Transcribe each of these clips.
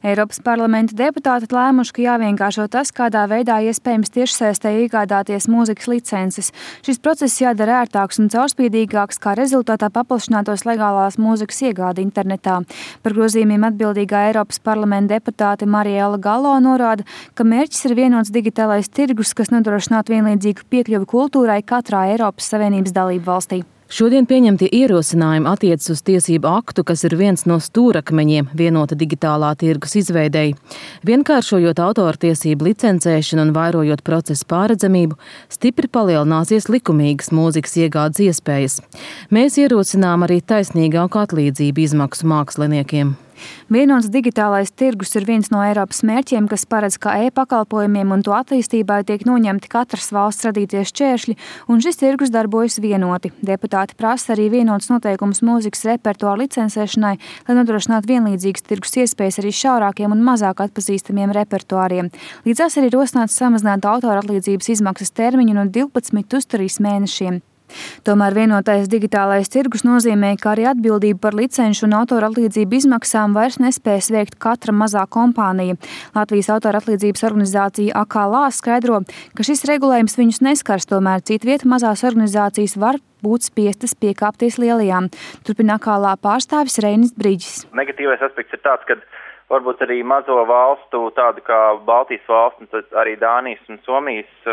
Eiropas parlamenta deputāti lēmuši, ka jāvienkāršo tas, kādā veidā iespējams tiešsaistē iegādāties mūzikas licences. Šis process jādara ērtāks un caurspīdīgāks, kā rezultātā paplašinātos legālās mūzikas iegāde internetā. Par grozījumiem atbildīgā Eiropas parlamenta deputāte Mariela Gallo norāda, ka mērķis ir vienots digitālais tirgus, kas nodrošinātu vienlīdzīgu piekļuvi kultūrai katrā Eiropas Savienības dalību valstī. Šodien pieņemtie ierosinājumi attiecas uz tiesību aktu, kas ir viens no stūrakmeņiem vienota digitālā tirgus izveidei. Vienkāršojot autortiesību licencēšanu un vairojot procesu pārredzamību, stipri palielināsies likumīgas mūzikas iegādes iespējas. Mēs ierosinām arī taisnīgāku atlīdzību izmaksu māksliniekiem. Vienots digitālais tirgus ir viens no Eiropas mērķiem, kas paredz, ka e-pakalpojumiem un to attīstībai tiek noņemti katras valsts radītie šķēršļi, un šis tirgus darbojas vienoti. Deputāti prasa arī vienots noteikums mūzikas repertuāru licencēšanai, lai nodrošinātu vienlīdzīgas tirgus iespējas arī šaurākiem un mazāk atpazīstamiem repertuāriem. Līdzās arī rosināts samazināt autora atlīdzības izmaksas termiņu no 12 uz 3 mēnešiem. Tomēr vienotais digitālais tirgus nozīmē, ka arī atbildību par licenšu un autora atlīdzību izmaksām vairs nespēs veikt katra mazā kompānija. Latvijas autora atlīdzības organizācija AKLA skaidro, ka šis regulējums viņus neskars, tomēr citvieta mazās organizācijas var būt spiestas piekāpties lielajām. Turpina AKLA pārstāvis Reinis Briģis. Negatīvais aspekts ir tāds, ka varbūt arī mazo valstu, tādu kā Baltijas valsts, un tad arī Dānijas un Somijas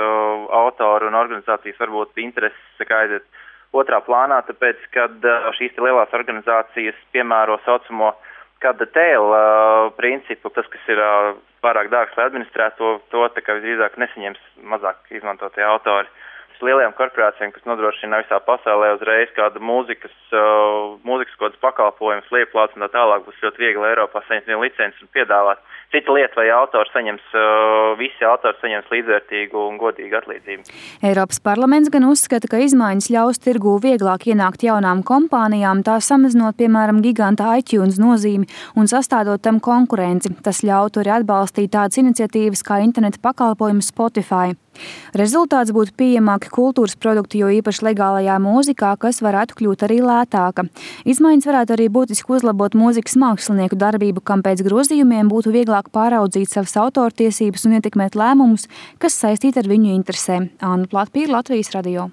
autoru un organizācijas varbūt intereses aiziet otrā plānā, tāpēc, kad šīs lielās organizācijas piemēro saucamo cut the tail principu, tas, kas ir pārāk dārgs, lai administrētu to tā kā visdrīzāk nesaņems mazāk izmantotie autori. Lielajām korporācijām, kas nodrošina visā pasaulē uzreiz kādu mūzikas kodas pakalpojumus, lieplāts un tā tālāk, būs ļoti viegli Eiropā saņemt vienu licenci un piedāvāt. Cita lieta, vai visi autori saņems līdzvērtīgu un godīgu atlīdzību. Eiropas parlaments gan uzskata, ka izmaiņas ļaus tirgū vieglāk ienākt jaunām kompānijām, tā samazinot, piemēram, giganta iTunes nozīmi un sastādot tam konkurenci. Tas ļautu arī atbalstīt tādas iniciatīvas kā interneta pakalpojumu Spotify. Rezultāts būtu pieejamāki kultūras produkti, jo īpaši legālajā mūzikā, kas varētu kļūt arī lētāka. Izmaiņas varētu arī būtiski uzlabot mūzikas mākslinieku darbību, kam pēc grozījumiem būtu vieglāk pāraudzīt savas autortiesības un ietekmēt lēmumus, kas saistīti ar viņu interesēm. Anna Platpīra, Latvijas radio.